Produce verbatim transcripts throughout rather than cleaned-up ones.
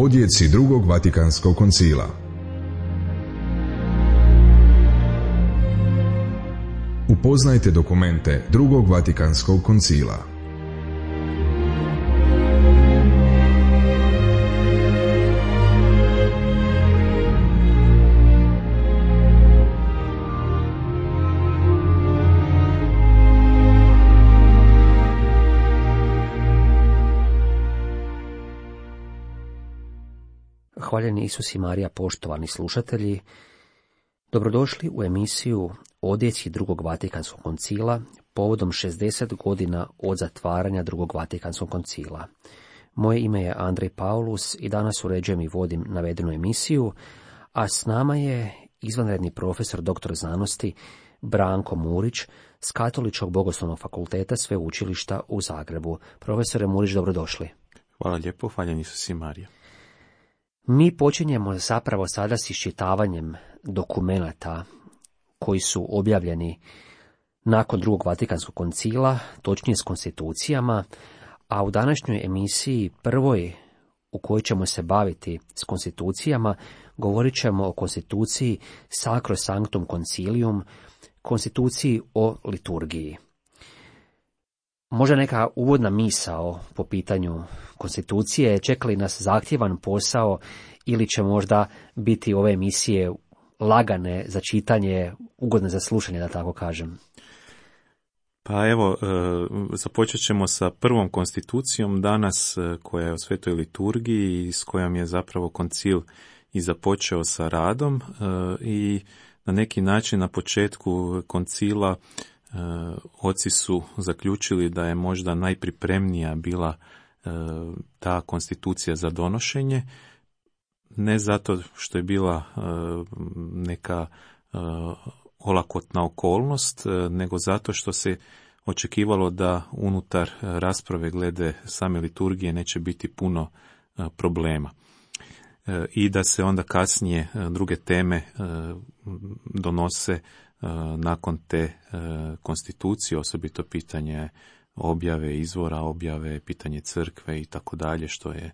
Odjeci drugog Vatikanskog koncila. Upoznajte dokumente drugog Vatikanskog koncila. Hvaljeni Isus i Marija, poštovani slušatelji, dobrodošli u emisiju Odjeci drugog Vatikanskog koncila povodom šezdeset godina od zatvaranja drugog Vatikanskog koncila. Moje ime je Andrej Paulus i danas uređujem i vodim navedenu emisiju, a s nama je izvanredni profesor doktor znanosti Branko Murić s Katoličkog bogoslovnog fakulteta Sveučilišta u Zagrebu. Profesore Murić, dobrodošli. Hvala lijepo, hvaljeni Isus i Marija. Mi počinjemo zapravo sada s iščitavanjem dokumenata koji su objavljeni nakon drugog Vatikanskog koncila, točnije s konstitucijama, a u današnjoj emisiji, prvoj u kojoj ćemo se baviti s konstitucijama, govorit ćemo o konstituciji Sacrosanctum Concilium, konstituciji o liturgiji. Možda neka uvodna misao po pitanju konstitucije, čeka li nas zahtjevan posao ili će možda biti ove emisije lagane za čitanje, ugodne za slušanje, da tako kažem? Pa evo, započet ćemo sa prvom konstitucijom danas, koja je o svetoj liturgiji i s kojom je zapravo koncil i započeo sa radom, i na neki način na početku koncila oci su zaključili da je možda najpripremnija bila ta konstitucija za donošenje, ne zato što je bila neka olakotna okolnost, nego zato što se očekivalo da unutar rasprave glede same liturgije neće biti puno problema. I da se onda kasnije druge teme donose nakon te konstitucije, osobito pitanje objave izvora, objave, pitanje crkve i tako dalje, što je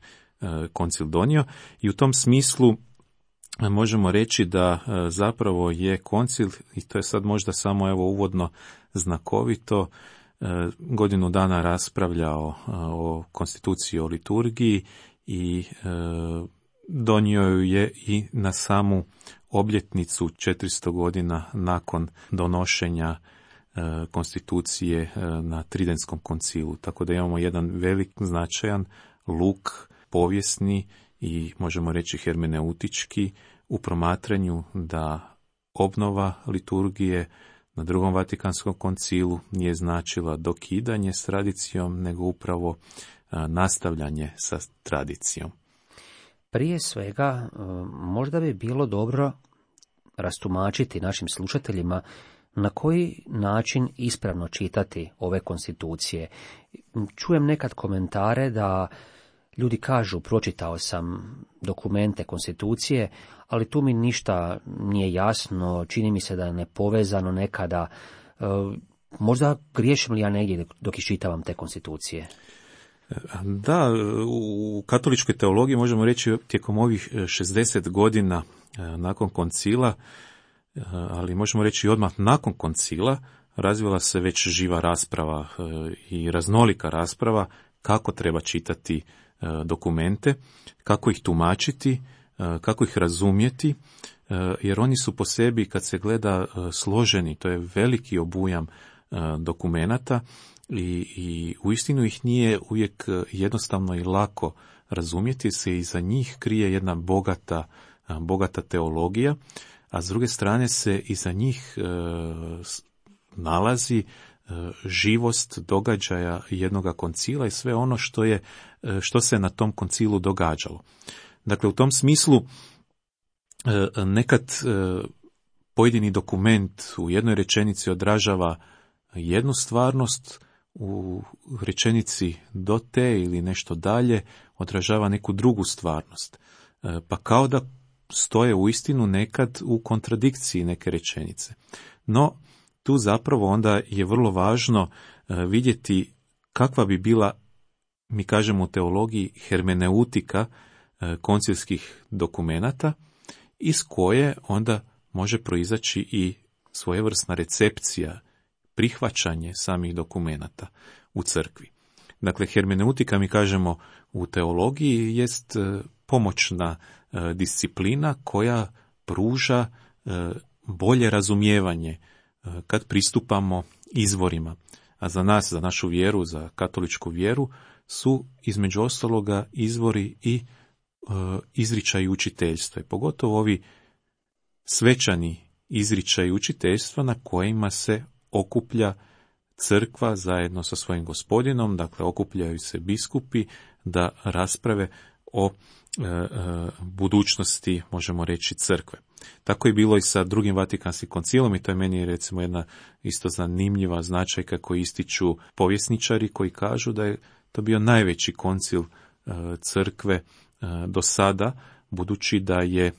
koncil donio. I u tom smislu možemo reći da zapravo je koncil, i to je sad možda samo evo uvodno znakovito, godinu dana raspravljao o konstituciji o liturgiji i donio ju je i na samu obljetnicu četiristo godina nakon donošenja konstitucije na Tridentskom koncilu. Tako da imamo jedan velik značajan luk povijesni i možemo reći hermeneutički u promatranju da obnova liturgije na drugom Vatikanskom koncilu nije značila dokidanje s tradicijom, nego upravo nastavljanje sa tradicijom. Prije svega, možda bi bilo dobro rastumačiti našim slušateljima na koji način ispravno čitati ove konstitucije. Čujem nekad komentare da ljudi kažu, pročitao sam dokumente konstitucije, ali tu mi ništa nije jasno, čini mi se da je nepovezano nekada. Možda griješim li ja negdje dok iščitavam te konstitucije? Da, u katoličkoj teologiji možemo reći tijekom ovih šezdeset godina nakon koncila, ali možemo reći odmah nakon koncila, razvila se već živa rasprava i raznolika rasprava kako treba čitati dokumente, kako ih tumačiti, kako ih razumjeti, jer oni su po sebi, kad se gleda, složeni, to je veliki obujam dokumenata i, i uistinu ih nije uvijek jednostavno i lako razumjeti, se iza njih krije jedna bogata, bogata teologija, a s druge strane se iza njih e, nalazi e, živost događaja jednoga koncila i sve ono što je, e, što se na tom koncilu događalo. Dakle, u tom smislu e, nekad e, pojedini dokument u jednoj rečenici odražava jednu stvarnost, u rečenici do te ili nešto dalje odražava neku drugu stvarnost. E, pa kao da stoje uistinu nekad u kontradikciji neke rečenice. No, tu zapravo onda je vrlo važno vidjeti kakva bi bila, mi kažemo u teologiji, hermeneutika koncilskih dokumenata iz koje onda može proizaći i svojevrsna recepcija, prihvaćanje samih dokumenata u crkvi. Dakle, hermeneutika, mi kažemo u teologiji, jest pomoćna disciplina koja pruža bolje razumijevanje kad pristupamo izvorima. A za nas, za našu vjeru, za katoličku vjeru, su između ostaloga izvori i e, izričaj učiteljstva. I pogotovo ovi svečani izričaj učiteljstva na kojima se okuplja crkva zajedno sa svojim gospodinom, dakle okupljaju se biskupi da rasprave o e, e, budućnosti, možemo reći, crkve. Tako je bilo i sa drugim Vatikanskim koncilom i to je meni recimo jedna isto zanimljiva značajka koju ističu povjesničari koji kažu da je to bio najveći koncil e, crkve e, do sada, budući da je e,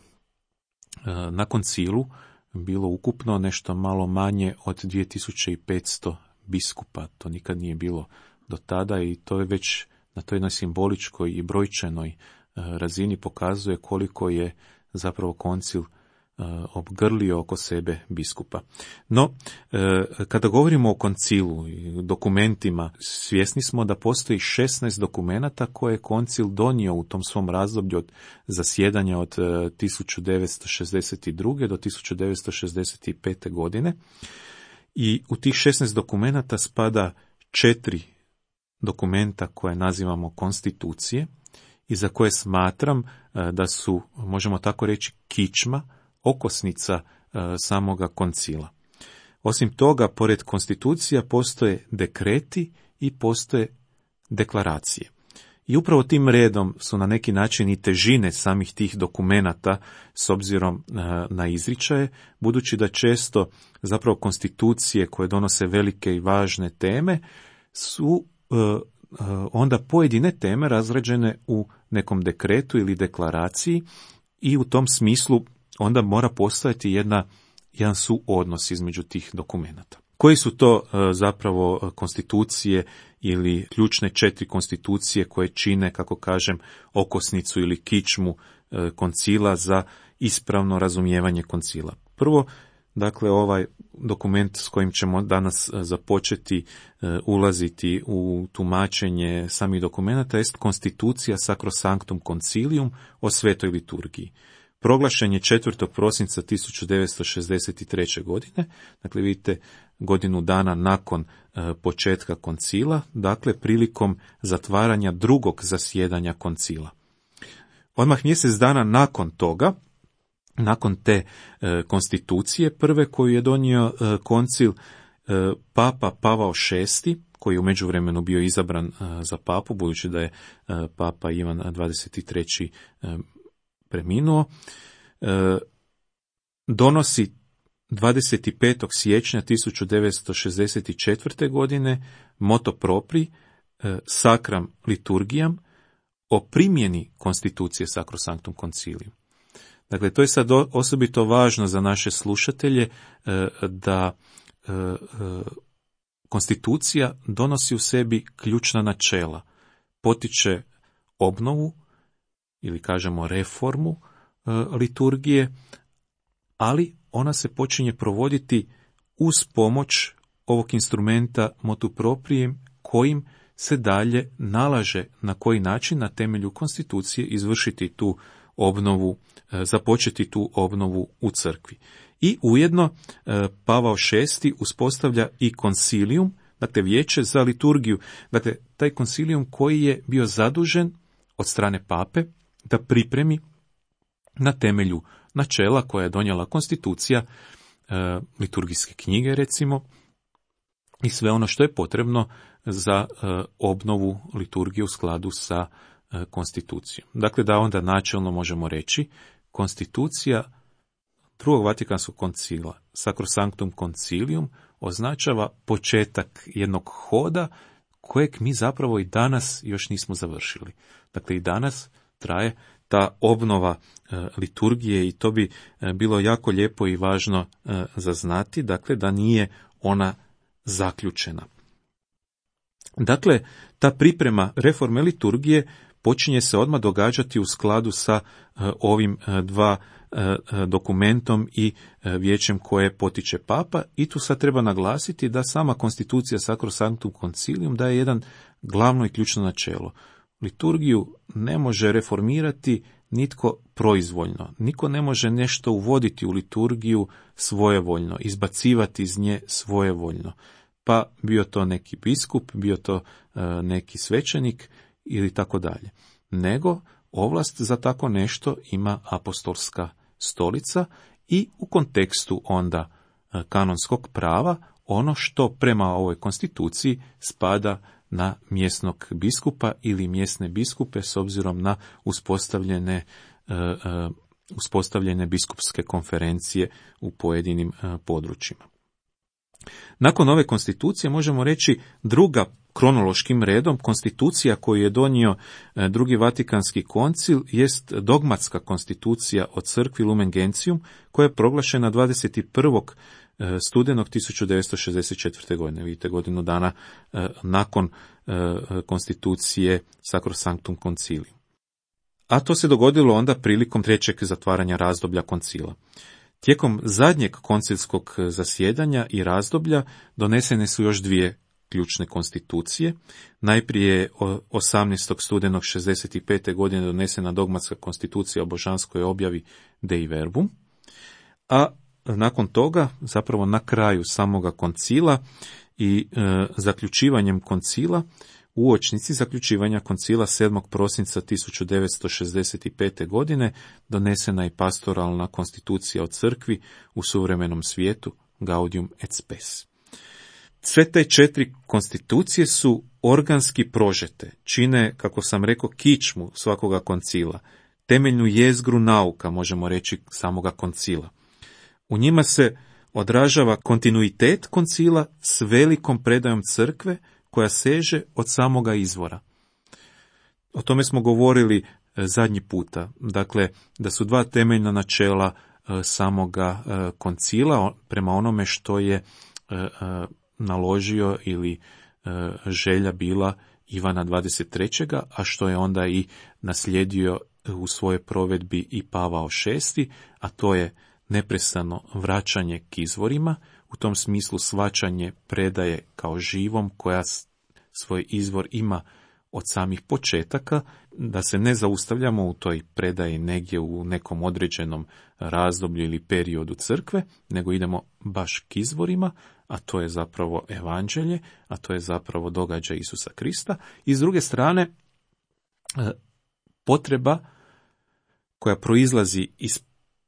na koncilu bilo ukupno nešto malo manje od dvije tisuće petsto biskupa. To nikad nije bilo do tada i to je već na toj jednoj simboličkoj i brojčanoj razini pokazuje koliko je zapravo koncil obgrlio oko sebe biskupa. No, kada govorimo o koncilu i dokumentima, svjesni smo da postoji šesnaest dokumenata koje je koncil donio u tom svom razdoblju od zasjedanja od tisuću devetsto šezdeset druge do tisuću devetsto šezdeset pete godine. I u tih šesnaest dokumenata spada četiri dokumenta koje nazivamo konstitucije i za koje smatram da su, možemo tako reći, kičma, okosnica samoga koncila. Osim toga, pored konstitucija postoje dekreti i postoje deklaracije. I upravo tim redom su na neki način i težine samih tih dokumenata s obzirom na izričaje, budući da često zapravo konstitucije koje donose velike i važne teme su onda pojedine teme razrađene u nekom dekretu ili deklaraciji i u tom smislu onda mora postojati jedna, jedan suodnos između tih dokumenata. Koji su to zapravo konstitucije ili ključne četiri konstitucije koje čine, kako kažem, okosnicu ili kičmu koncila za ispravno razumijevanje koncila? Prvo, dakle, ovaj dokument s kojim ćemo danas započeti ulaziti u tumačenje samih dokumenata jest konstitucija Sacrosanctum Concilium o svetoj liturgiji. Proglašen je četvrtog prosinca tisuću devetsto šezdeset treće. godine, dakle vidite godinu dana nakon e, početka koncila, dakle prilikom zatvaranja drugog zasjedanja koncila. Odmah mjesec dana nakon toga, nakon te e, konstitucije prve koju je donio e, koncil, e, Papa Pavao šesti, koji je u međuvremenu bio izabran e, za papu, budući da je e, Papa Ivan dvadeset treći. E, preminuo, e, donosi dvadeset petog siječnja tisuću devetsto šezdeset četvrte. godine moto propri e, Sacram Liturgiam o primjeni konstitucije Sacrosanctum Concilium. Dakle, to je sad osobito važno za naše slušatelje e, da e, e, konstitucija donosi u sebi ključna načela, potiče obnovu ili kažemo reformu e, liturgije, ali ona se počinje provoditi uz pomoć ovog instrumenta motu proprijem kojim se dalje nalaže na koji način na temelju konstitucije izvršiti tu obnovu, e, započeti tu obnovu u crkvi. I ujedno e, Pavao šesti uspostavlja i koncilium, dakle vijeće za liturgiju, dakle taj koncilium koji je bio zadužen od strane pape da pripremi na temelju načela koja je donijela konstitucija e, liturgijske knjige, recimo, i sve ono što je potrebno za e, obnovu liturgije u skladu sa e, konstitucijom. Dakle, da onda načelno možemo reći, konstitucija drugog Vatikanskog koncila, Sacrosanctum Concilium, označava početak jednog hoda kojeg mi zapravo i danas još nismo završili. Dakle, i danas traje ta obnova e, liturgije i to bi e, bilo jako lijepo i važno e, za znati, dakle da nije ona zaključena. Dakle, ta priprema reforme liturgije počinje se odmah događati u skladu sa uh, ovim uh, dva uh, dokumentom i uh, vijećem koje potiče papa, i tu sad treba naglasiti da sama konstitucija Sacrosanctum Concilium daje jedan glavno i ključno načelo. Liturgiju ne može reformirati nitko proizvoljno. Niko ne može nešto uvoditi u liturgiju svojevoljno, izbacivati iz nje svojevoljno. Pa bio to neki biskup, bio to uh, neki svećenik ili tako dalje. Nego ovlast za tako nešto ima apostolska stolica i u kontekstu onda uh, kanonskog prava ono što prema ovoj konstituciji spada na mjesnog biskupa ili mjesne biskupe s obzirom na uspostavljene, uh, uh, uspostavljene biskupske konferencije u pojedinim uh, područjima. Nakon ove konstitucije možemo reći druga kronološkim redom konstitucija koju je donio drugi Vatikanski koncil jest dogmatska konstitucija o crkvi Lumen Gentium koja je proglašena dvadeset prvog studenog tisuću devetsto šezdeset četvrte. godine, vidite godinu dana nakon konstitucije Sacrosanctum Concilium. A to se dogodilo onda prilikom trećeg zatvaranja razdoblja koncila. Tijekom zadnjeg koncilskog zasjedanja i razdoblja donesene su još dvije ključne konstitucije. Najprije je osamnaestog studenog šezdeset pete. godine donesena dogmatska konstitucija o božanskoj objavi Dei Verbum, a nakon toga, zapravo na kraju samoga koncila i e, zaključivanjem koncila, uočnici zaključivanja koncila sedmog prosinca tisuću devetsto šezdeset pete. godine donesena je pastoralna konstitucija o crkvi u suvremenom svijetu Gaudium et Spes. Sve te četiri konstitucije su organski prožete, čine, kako sam rekao, kičmu svakoga koncila, temeljnu jezgru nauka, možemo reći, samoga koncila. U njima se odražava kontinuitet koncila s velikom predajom crkve koja seže od samoga izvora. O tome smo govorili zadnji puta, dakle, da su dva temeljna načela samoga koncila prema onome što je naložio ili želja bila Ivana dvadeset trećeg. a što je onda i naslijedio u svojoj provedbi i Pavao šesti. a to je neprestano vraćanje k izvorima, u tom smislu shvaćanje predaje kao živom koja svoj izvor ima od samih početaka, da se ne zaustavljamo u toj predaji negdje u nekom određenom razdoblju ili periodu crkve, nego idemo baš k izvorima, a to je zapravo evanđelje, a to je zapravo događaj Isusa Krista. I s druge strane, potreba koja proizlazi iz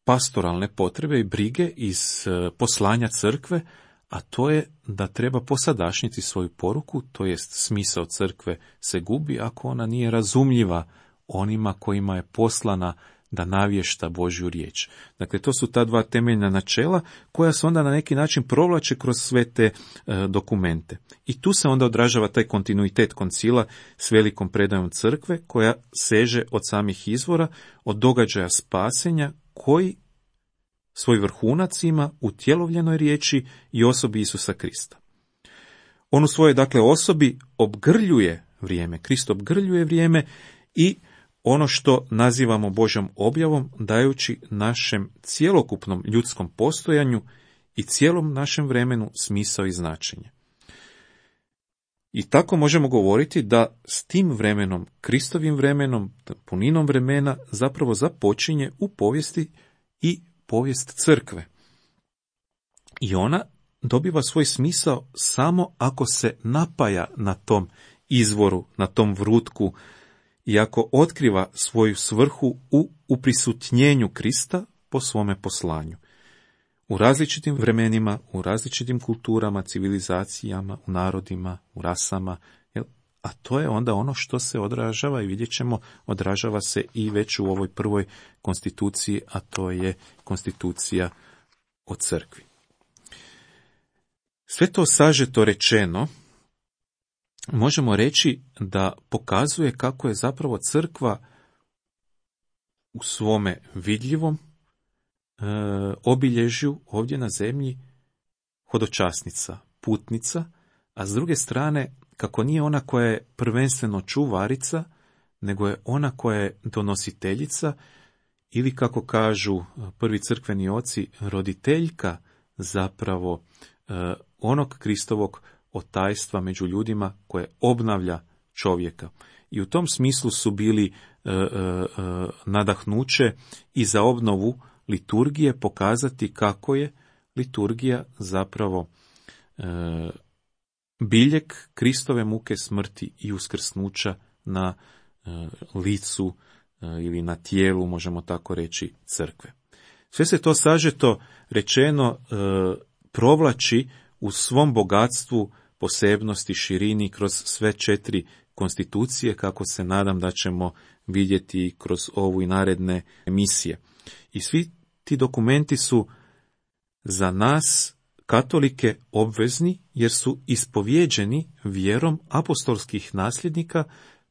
pastoralne potrebe i brige, iz poslanja crkve, a to je da treba posadašnjiti svoju poruku, to jest smisao crkve se gubi ako ona nije razumljiva onima kojima je poslana da navješta Božju riječ. Dakle, to su ta dva temeljna načela koja se onda na neki način provlače kroz sve te e, dokumente. I tu se onda odražava taj kontinuitet koncila s velikom predajom crkve koja seže od samih izvora, od događaja spasenja koji svoj vrhunac ima u tjelovljenoj riječi i osobi Isusa Krista. On u svojoj, dakle, osobi obgrljuje vrijeme, Krist obgrljuje vrijeme i ono što nazivamo Božjom objavom, dajući našem cjelokupnom ljudskom postojanju i cijelom našem vremenu smisao i značenje. I tako možemo govoriti da s tim vremenom, Kristovim vremenom, puninom vremena, zapravo započinje u povijesti i povijest crkve. I ona dobiva svoj smisao samo ako se napaja na tom izvoru, na tom vrutku, i ako otkriva svoju svrhu u uprisutnjenju Krista po svome poslanju. U različitim vremenima, u različitim kulturama, civilizacijama, u narodima, u rasama, a to je onda ono što se odražava i vidjet ćemo, odražava se i već u ovoj prvoj konstituciji, a to je konstitucija o crkvi. Sve to sažeto rečeno, možemo reći da pokazuje kako je zapravo crkva u svome vidljivom e, obilježju ovdje na zemlji hodočasnica, putnica, a s druge strane kako nije ona koja je prvenstveno čuvarica, nego je ona koja je donositeljica, ili kako kažu prvi crkveni oci, roditeljka zapravo eh, onog Kristovog otajstva među ljudima koje obnavlja čovjeka. I u tom smislu su bili e, e, nadahnuće i za obnovu liturgije pokazati kako je liturgija zapravo e, biljeg Kristove muke, smrti i uskrsnuća na e, licu e, ili na tijelu, možemo tako reći, crkve. Sve se to sažeto rečeno e, provlači u svom bogatstvu, posebnosti, širini kroz sve četiri konstitucije, kako se nadam da ćemo vidjeti kroz ovu i naredne emisije. I svi ti dokumenti su za nas, katolike, obvezni, jer su ispovjeđeni vjerom apostolskih nasljednika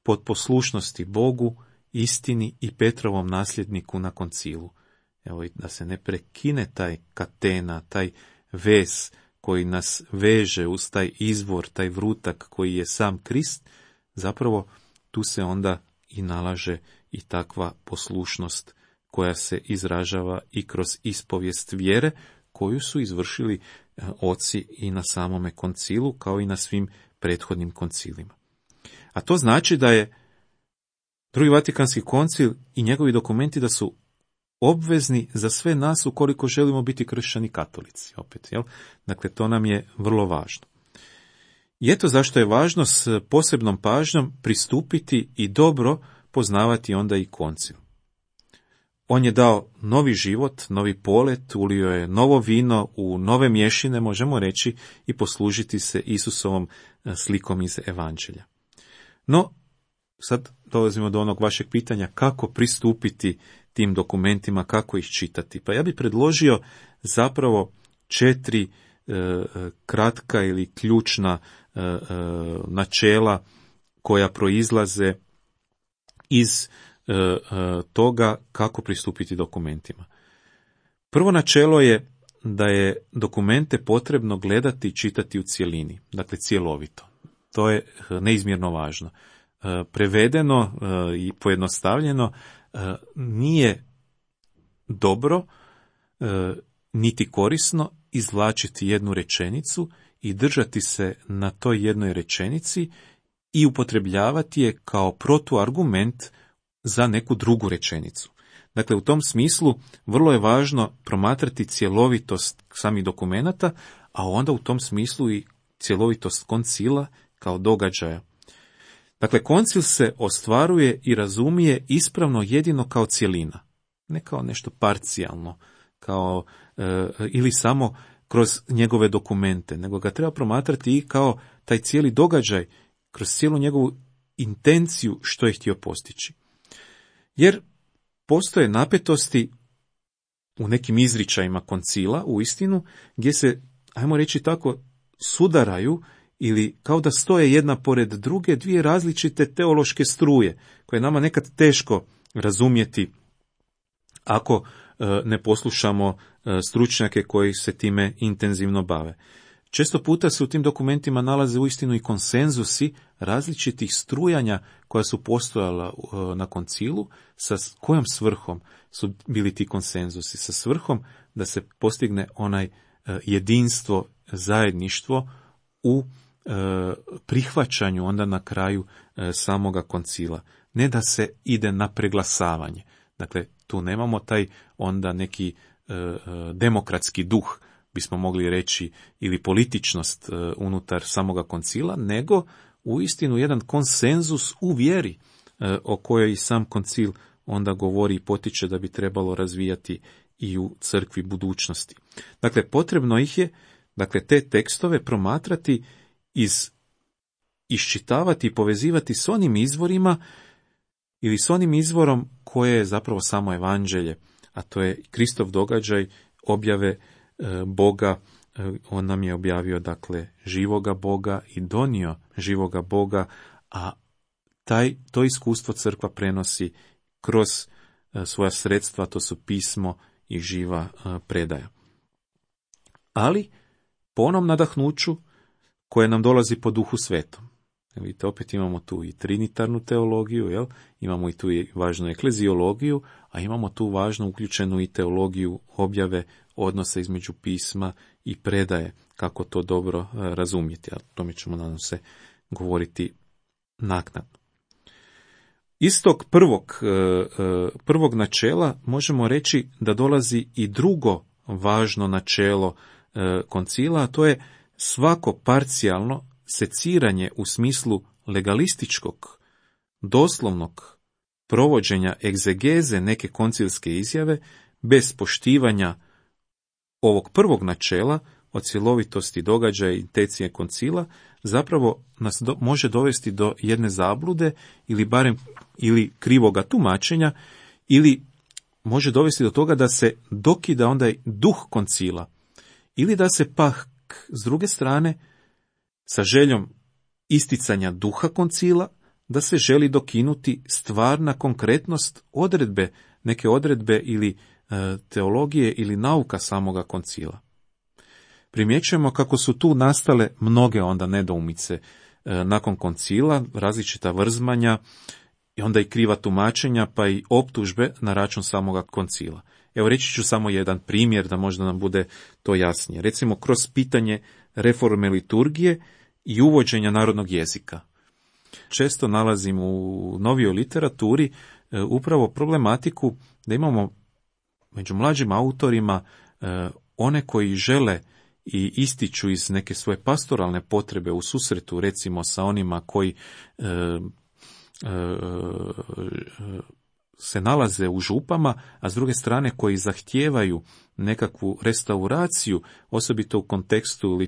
pod poslušnosti Bogu, istini i Petrovom nasljedniku na koncilu. Evo, da se ne prekine taj katena, taj vez koji nas veže uz taj izvor, taj vrutak koji je sam Krist, zapravo tu se onda i nalaže i takva poslušnost koja se izražava i kroz ispovijest vjere koju su izvršili oci i na samome koncilu, kao i na svim prethodnim koncilima. A to znači da je Drugi Vatikanski koncil i njegovi dokumenti da su obvezni za sve nas ukoliko želimo biti kršćani katolici. Opet, jel? Dakle, to nam je vrlo važno. I eto zašto je važno s posebnom pažnjom pristupiti i dobro poznavati onda i koncil. On je dao novi život, novi polet, ulio je novo vino u nove mješine, možemo reći, i poslužiti se Isusovom slikom iz Evanđelja. No, sad dolazimo do onog vašeg pitanja kako pristupiti tim dokumentima, kako ih čitati. Pa ja bih predložio zapravo četiri e, kratka ili ključna e, e, načela koja proizlaze iz e, e, toga kako pristupiti dokumentima. Prvo načelo je da je dokumente potrebno gledati i čitati u cjelini, dakle cjelovito. To je neizmjerno važno. E, prevedeno e, i pojednostavljeno, nije dobro e, niti korisno izvlačiti jednu rečenicu i držati se na toj jednoj rečenici i upotrebljavati je kao protuargument za neku drugu rečenicu. Dakle, u tom smislu vrlo je važno promatrati cjelovitost samih dokumenata, a onda u tom smislu i cjelovitost koncila kao događaja. Dakle, koncil se ostvaruje i razumije ispravno jedino kao cjelina, ne kao nešto parcijalno, kao e, ili samo kroz njegove dokumente, nego ga treba promatrati i kao taj cijeli događaj, kroz cijelu njegovu intenciju što je htio postići. Jer postoje napetosti u nekim izričajima koncila, u istinu, gdje se, ajmo reći tako, sudaraju ili kao da stoje jedna pored druge dvije različite teološke struje, koje je nama nekad teško razumjeti ako e, ne poslušamo e, stručnjake koji se time intenzivno bave. Često puta se u tim dokumentima nalaze uistinu i konsenzusi različitih strujanja koja su postojala e, na koncilu, sa kojom svrhom su bili ti konsenzusi? Sa svrhom da se postigne onaj e, jedinstvo, zajedništvo u prihvaćanju onda na kraju samoga koncila. Ne da se ide na preglasavanje. Dakle, tu nemamo taj onda neki demokratski duh, bismo mogli reći, ili političnost unutar samoga koncila, nego uistinu jedan konsenzus u vjeri o kojoj i sam koncil onda govori i potiče da bi trebalo razvijati i u crkvi budućnosti. Dakle, potrebno ih je, dakle, te tekstove promatrati iz iščitavati i povezivati s onim izvorima ili s onim izvorom koje je zapravo samo evanđelje, a to je Kristov događaj objave e, Boga. E, on nam je objavio, dakle, živoga Boga i donio živoga Boga, a taj, to iskustvo crkva prenosi kroz e, svoja sredstva, to su pismo i živa e, predaja. Ali po onom nadahnuću koje nam dolazi po Duhu Svetom. Vidite, opet imamo tu i trinitarnu teologiju, jel? Imamo i tu i važnu ekleziologiju, a imamo tu važnu uključenu i teologiju objave, odnosa između pisma i predaje, kako to dobro e, razumjeti. A o tome ćemo, nadam se, govoriti naknadno. Iz tog prvog, e, e, prvog načela možemo reći da dolazi i drugo važno načelo e, koncila, a to je svako parcijalno seciranje u smislu legalističkog, doslovnog provođenja egzegeze neke koncilske izjave bez poštivanja ovog prvog načela o cjelovitosti događaja i intencije koncila zapravo nas do, može dovesti do jedne zablude ili barem ili krivoga tumačenja, ili može dovesti do toga da se dokida onda duh koncila, ili da se pak s druge strane sa željom isticanja duha koncila, da se želi dokinuti stvarna konkretnost odredbe, neke odredbe ili e, teologije ili nauka samoga koncila. Primjećujemo kako su tu nastale mnoge onda nedoumice e, nakon koncila, različita vrzmanja i onda i kriva tumačenja, pa i optužbe na račun samoga koncila. Evo, reći ću samo jedan primjer da možda nam bude to jasnije. Recimo, kroz pitanje reforme liturgije i uvođenja narodnog jezika. Često nalazimo u novijoj literaturi e, upravo problematiku da imamo među mlađim autorima e, one koji žele i ističu iz neke svoje pastoralne potrebe u susretu, recimo sa onima koji e, e, se nalaze u župama, a s druge strane koji zahtijevaju nekakvu restauraciju, osobito u kontekstu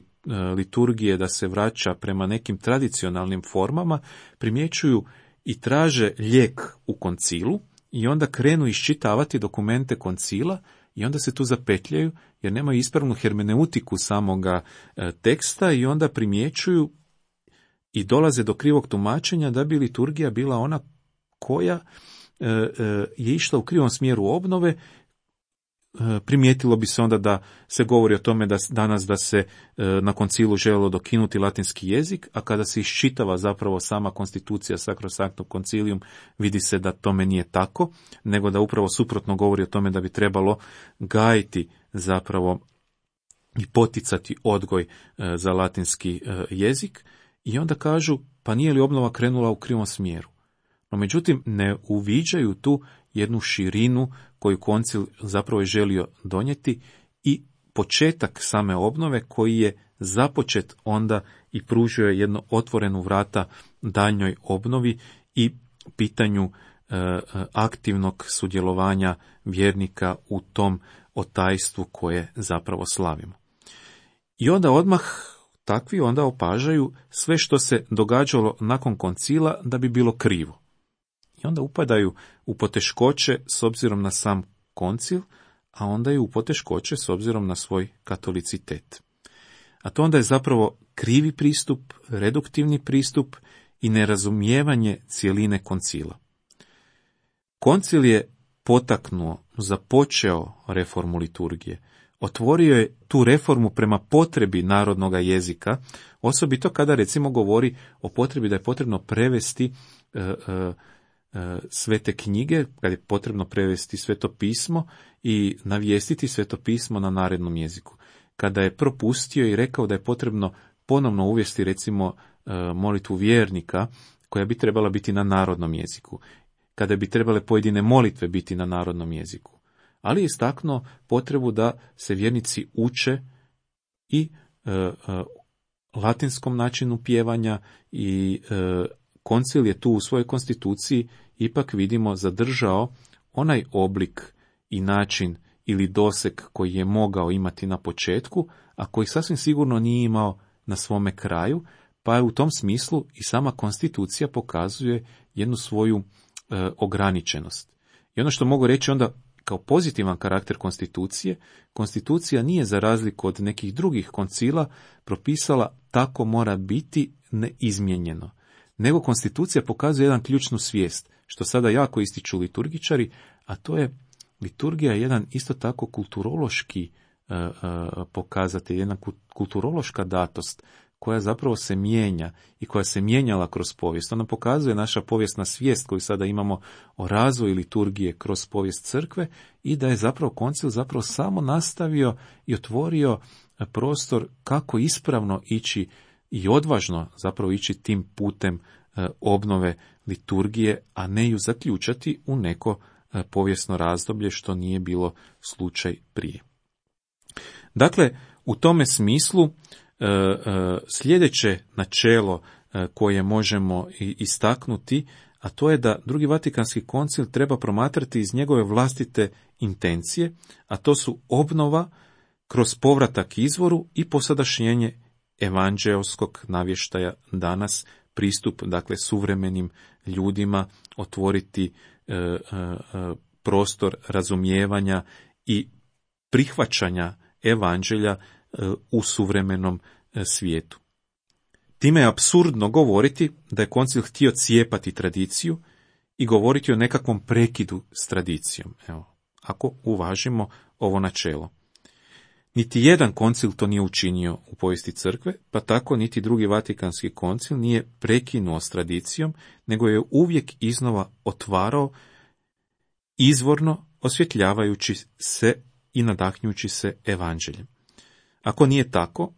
liturgije da se vraća prema nekim tradicionalnim formama, primjećuju i traže lijek u koncilu i onda krenu iščitavati dokumente koncila i onda se tu zapetljaju jer nemaju ispravnu hermeneutiku samoga teksta i onda primjećuju i dolaze do krivog tumačenja da bi liturgija bila ona koja je išla u krivom smjeru obnove. Primijetilo bi se onda da se govori o tome da danas da se na koncilu željelo dokinuti latinski jezik, a kada se iščitava zapravo sama konstitucija Sacrosanctum Concilium, vidi se da tome nije tako, nego da upravo suprotno govori o tome da bi trebalo gajiti zapravo i poticati odgoj za latinski jezik. I onda kažu, pa nije li obnova krenula u krivom smjeru? No međutim, ne uviđaju tu jednu širinu koju koncil zapravo je želio donijeti i početak same obnove koji je započet onda i pružio je jedno otvorenu vrata daljnjoj obnovi i pitanju e, aktivnog sudjelovanja vjernika u tom otajstvu koje zapravo slavimo. I onda odmah takvi onda opažaju sve što se događalo nakon koncila da bi bilo krivo. I onda upadaju u poteškoće s obzirom na sam koncil, a onda i u poteškoće s obzirom na svoj katolicitet. A to onda je zapravo krivi pristup, reduktivni pristup i nerazumijevanje cjeline koncila. Koncil je potaknuo, započeo reformu liturgije, otvorio je tu reformu prema potrebi narodnog jezika, osobito kada recimo govori o potrebi da je potrebno prevesti e, e, svete knjige, kad je potrebno prevesti sveto pismo i navijestiti sveto pismo na narednom jeziku. Kada je propustio i rekao da je potrebno ponovno uvesti recimo molitvu vjernika koja bi trebala biti na narodnom jeziku. Kada bi trebale pojedine molitve biti na narodnom jeziku. Ali je istaknuo potrebu da se vjernici uče i e, e, latinskom načinu pjevanja i e, koncil je tu u svojoj konstituciji ipak vidimo zadržao onaj oblik i način ili doseg koji je mogao imati na početku, a koji sasvim sigurno nije imao na svome kraju, pa je u tom smislu i sama konstitucija pokazuje jednu svoju e, ograničenost. I ono što mogu reći onda kao pozitivan karakter konstitucije, konstitucija nije za razliku od nekih drugih koncila propisala tako mora biti neizmijenjeno, nego konstitucija pokazuje jedan ključnu svijest, što sada jako ističu liturgičari, a to je liturgija je jedan isto tako kulturološki uh, uh, pokazatelj, jedna kulturološka datost koja zapravo se mijenja i koja se mijenjala kroz povijest. Ona pokazuje naša povijesna svijest koju sada imamo o razvoju liturgije kroz povijest crkve i da je zapravo koncil zapravo samo nastavio i otvorio prostor kako ispravno ići i odvažno zapravo ići tim putem obnove liturgije, a ne ju zaključati u neko povijesno razdoblje što nije bilo slučaj prije. Dakle, u tome smislu sljedeće načelo koje možemo istaknuti, a to je da Drugi Vatikanski koncil treba promatrati iz njegove vlastite intencije, a to su obnova kroz povratak izvoru i posadašnjenje evanđeoskog navještaja danas, pristup, dakle, suvremenim ljudima, otvoriti e, e, prostor razumijevanja i prihvaćanja evanđelja e, u suvremenom e, svijetu. Time je apsurdno govoriti da je koncil htio cijepati tradiciju i govoriti o nekakvom prekidu s tradicijom. Evo, ako uvažimo ovo načelo. Niti jedan koncil to nije učinio u povijesti crkve, pa tako niti Drugi Vatikanski koncil nije prekinuo s tradicijom, nego je uvijek iznova otvarao, izvorno osvjetljavajući se i nadahnjući se evanđeljem. Ako nije tako,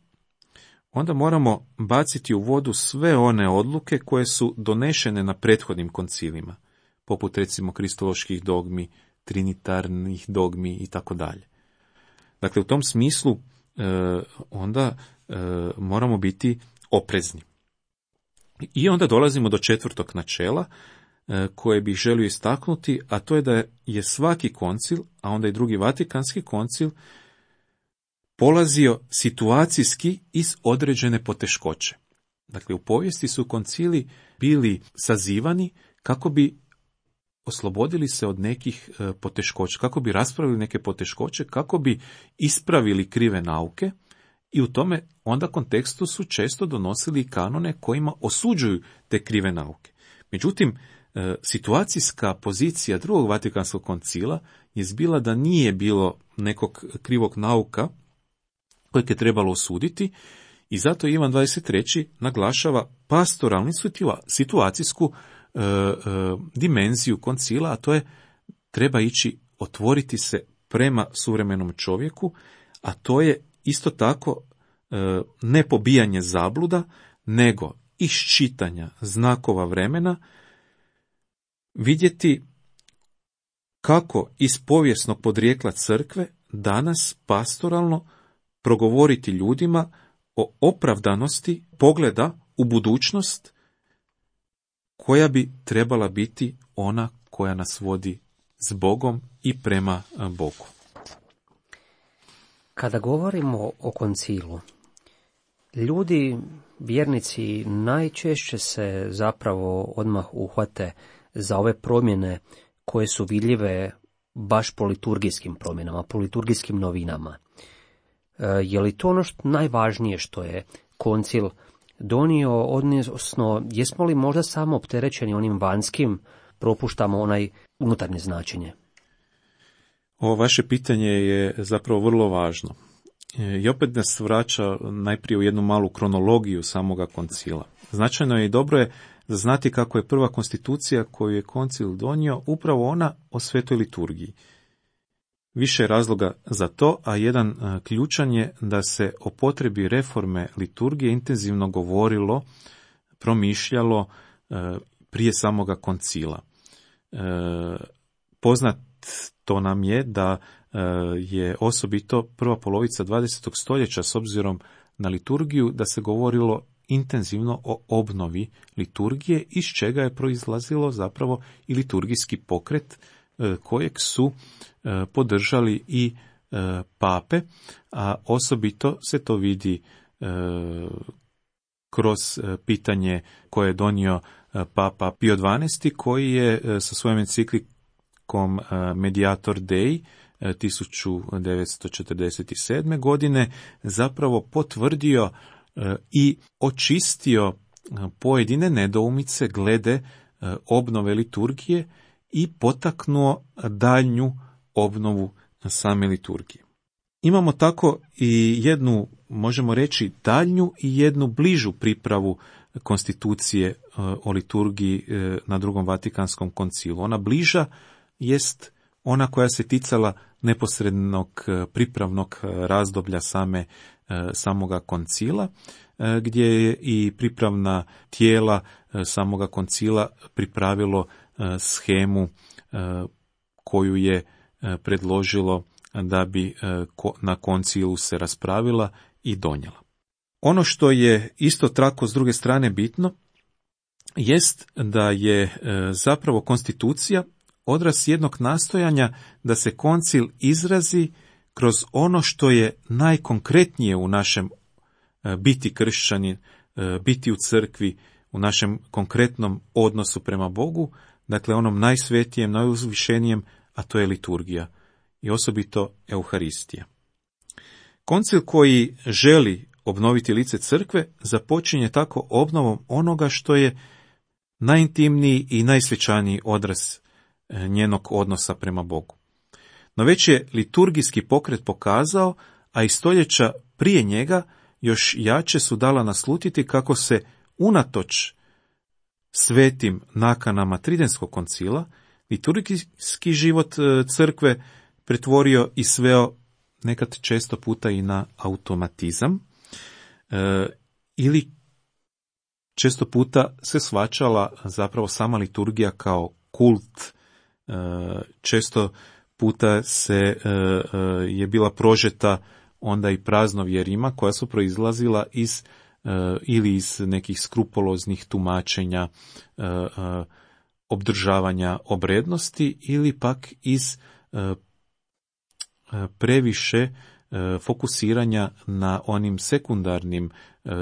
onda moramo baciti u vodu sve one odluke koje su donešene na prethodnim koncilima, poput recimo kristoloških dogmi, trinitarnih dogmi i tako dalje. Dakle, u tom smislu e, onda e, moramo biti oprezni. I onda dolazimo do četvrtog načela e, koje bih želio istaknuti, a to je da je svaki koncil, a onda i Drugi Vatikanski koncil, polazio situacijski iz određene poteškoće. Dakle, u povijesti su koncili bili sazivani kako bi oslobodili se od nekih poteškoća, kako bi raspravili neke poteškoće, kako bi ispravili krive nauke i u tome onda kontekstu su često donosili kanone kojima osuđuju te krive nauke. Međutim, situacijska pozicija Drugog Vatikanskog koncila je bila da nije bilo nekog krivog nauka kojeg je trebalo osuditi i zato Ivan dvadeset treći naglašava pastoralnu situacijsku E, e, dimenziju koncila, a to je treba ići otvoriti se prema suvremenom čovjeku, a to je isto tako e, ne pobijanje zabluda, nego iz čitanja znakova vremena vidjeti kako iz povijesnog podrijekla crkve danas pastoralno progovoriti ljudima o opravdanosti pogleda u budućnost koja bi trebala biti ona koja nas vodi s Bogom i prema Bogu. Kada govorimo o koncilu, ljudi, vjernici, najčešće se zapravo odmah uhvate za ove promjene koje su vidljive baš po liturgijskim promjenama, po liturgijskim novinama. E, je li to ono što najvažnije što je koncil donio, odnosno jesmo li možda samo opterećeni onim vanjskim, propuštamo onaj unutarnje značenje? Ovo vaše pitanje je zapravo vrlo važno. I opet nas vraća najprije u jednu malu kronologiju samoga koncila. Značajno je i dobro je znati kako je prva konstitucija koju je koncil donio upravo ona o svetoj liturgiji. Više je razloga za to, a jedan ključan je da se o potrebi reforme liturgije intenzivno govorilo, promišljalo prije samoga koncila. Poznato nam je da je osobito prva polovica dvadesetog stoljeća s obzirom na liturgiju da se govorilo intenzivno o obnovi liturgije, iz čega je proizlazilo zapravo i liturgijski pokret kojeg su podržali i pape, a osobito se to vidi kroz pitanje koje je donio papa Pio dvanaesti, koji je sa svojom enciklikom Mediator Dei tisuću devetsto četrdeset sedme. godine zapravo potvrdio i očistio pojedine nedoumice glede obnove liturgije i potaknuo daljnju obnovu same liturgije. Imamo tako i jednu, možemo reći, daljnju i jednu bližu pripravu konstitucije o liturgiji na drugom Vatikanskom koncilu. Ona bliža jest ona koja se ticala neposrednog pripravnog razdoblja same, samoga koncila, gdje je i pripravna tijela samoga koncila pripravilo shemu koju je predložilo da bi na koncilu se raspravila i donijela. Ono što je isto tako s druge strane bitno jest da je zapravo konstitucija odraz jednog nastojanja da se koncil izrazi kroz ono što je najkonkretnije u našem biti kršćanin, biti u crkvi, u našem konkretnom odnosu prema Bogu, dakle onom najsvetijem, najuzvišenijem, a to je liturgija i osobito Euharistija. Koncil koji želi obnoviti lice crkve započinje tako obnovom onoga što je najintimniji i najsvečaniji odraz njenog odnosa prema Bogu. No već je liturgijski pokret pokazao, a i stoljeća prije njega još jače su dala naslutiti kako se unatoč svetim nakanama Tridentskog koncila liturgijski život crkve pretvorio i sveo nekad često puta i na automatizam e, ili često puta se shvaćala zapravo sama liturgija kao kult. E, često puta se e, je bila prožeta onda i praznovjerima koja su proizlazila iz e, ili iz nekih skrupuloznih tumačenja e, e, obdržavanja obrednosti ili pak iz e, previše fokusiranja na onim sekundarnim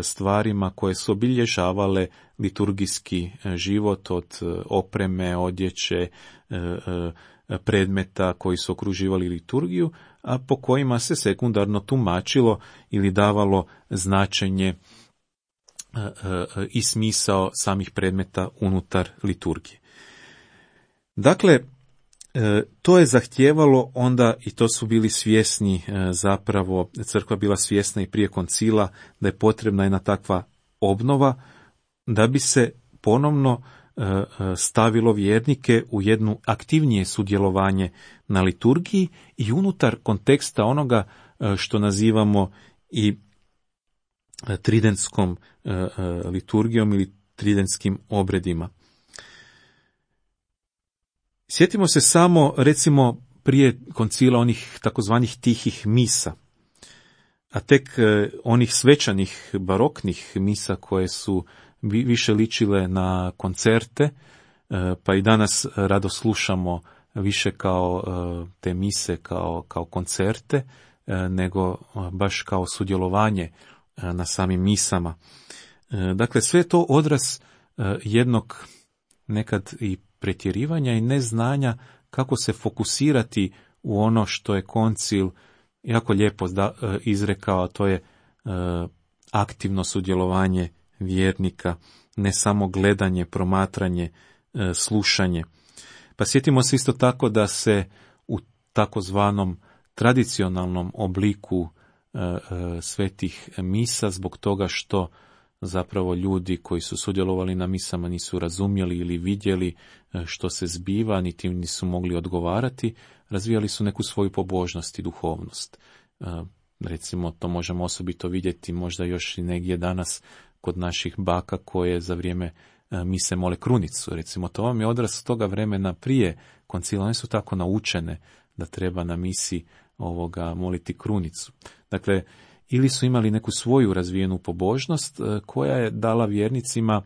stvarima koje su obilježavale liturgijski život, od opreme, odjeće, predmeta koji su okruživali liturgiju, a po kojima se sekundarno tumačilo ili davalo značenje i smisao samih predmeta unutar liturgije. Dakle, to je zahtijevalo onda, i to su bili svjesni zapravo, crkva bila svjesna i prije koncila, da je potrebna jedna takva obnova, da bi se ponovno stavilo vjernike u jednu aktivnije sudjelovanje na liturgiji i unutar konteksta onoga što nazivamo i tridentskom liturgijom ili tridentskim obredima. Sjetimo se samo, recimo, prije koncila onih takozvanih tihih misa, a tek onih svečanih baroknih misa koje su više ličile na koncerte, pa i danas rado slušamo više kao te mise kao, kao koncerte, nego baš kao sudjelovanje na samim misama. Dakle, sve to odraz jednog nekad i pretjerivanja i neznanja kako se fokusirati u ono što je koncil jako lijepo izrekao, a to je aktivno sudjelovanje vjernika, ne samo gledanje, promatranje, slušanje. Pa sjetimo se isto tako da se u takozvanom tradicionalnom obliku svetih misa, zbog toga što zapravo ljudi koji su sudjelovali na misama nisu razumjeli ili vidjeli što se zbiva, niti nisu mogli odgovarati, razvijali su neku svoju pobožnost i duhovnost. Recimo, to možemo osobito vidjeti možda još i negdje danas kod naših baka koje za vrijeme mise mole krunicu. Recimo, to vam je odraz toga vremena prije koncila. One su tako naučene da treba na misi ovoga moliti krunicu. Dakle, ili su imali neku svoju razvijenu pobožnost koja je dala vjernicima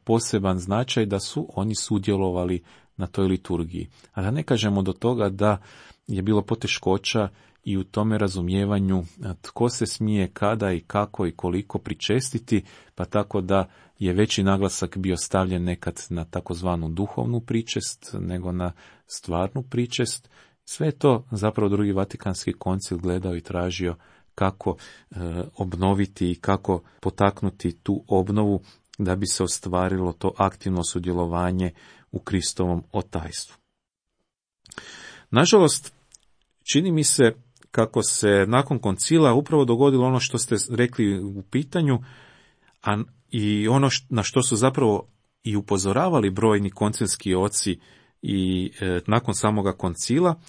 poseban značaj da su oni sudjelovali na toj liturgiji. A da ne kažemo do toga da je bilo poteškoća i u tome razumijevanju tko se smije, kada i kako i koliko pričestiti, pa tako da je veći naglasak bio stavljen nekad na takozvanu duhovnu pričest nego na stvarnu pričest. Sve to zapravo drugi Vatikanski koncil gledao i tražio kako e, obnoviti i kako potaknuti tu obnovu da bi se ostvarilo to aktivno sudjelovanje u Kristovom otajstvu. Nažalost, čini mi se kako se nakon koncila upravo dogodilo ono što ste rekli u pitanju, a i ono na što su zapravo i upozoravali brojni koncilski oci i e, nakon samoga koncila,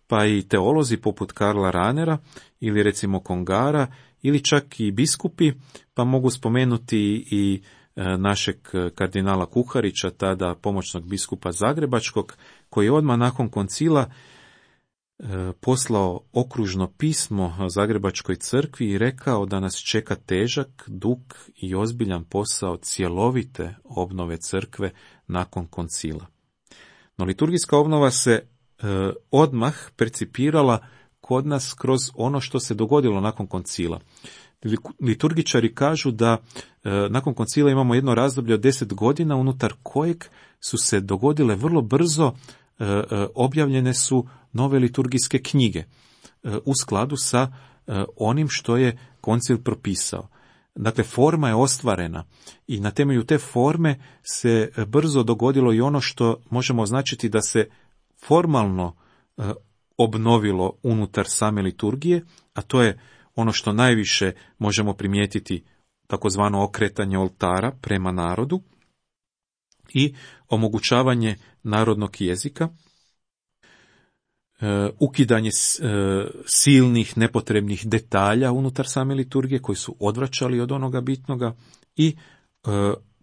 pa i teolozi poput Karla Ranera ili recimo Kongara ili čak i biskupi, pa mogu spomenuti i e, našeg kardinala Kuharića, tada pomoćnog biskupa Zagrebačkog, koji je odmah nakon koncila e, poslao okružno pismo Zagrebačkoj crkvi i rekao da nas čeka težak, dug i ozbiljan posao cjelovite obnove crkve nakon koncila. No liturgijska obnova se e, odmah percipirala kod nas kroz ono što se dogodilo nakon koncila. Liturgičari kažu da e, nakon koncila imamo jedno razdoblje od deset godina unutar kojeg su se dogodile vrlo brzo, e, e, objavljene su nove liturgijske knjige e, u skladu sa e, onim što je koncil propisao. Dakle, forma je ostvarena i na temelju te forme se brzo dogodilo i ono što možemo označiti da se formalno e, obnovilo unutar same liturgije, a to je ono što najviše možemo primijetiti, takozvano okretanje oltara prema narodu i omogućavanje narodnog jezika, e, ukidanje e, silnih nepotrebnih detalja unutar same liturgije koji su odvraćali od onoga bitnoga i e,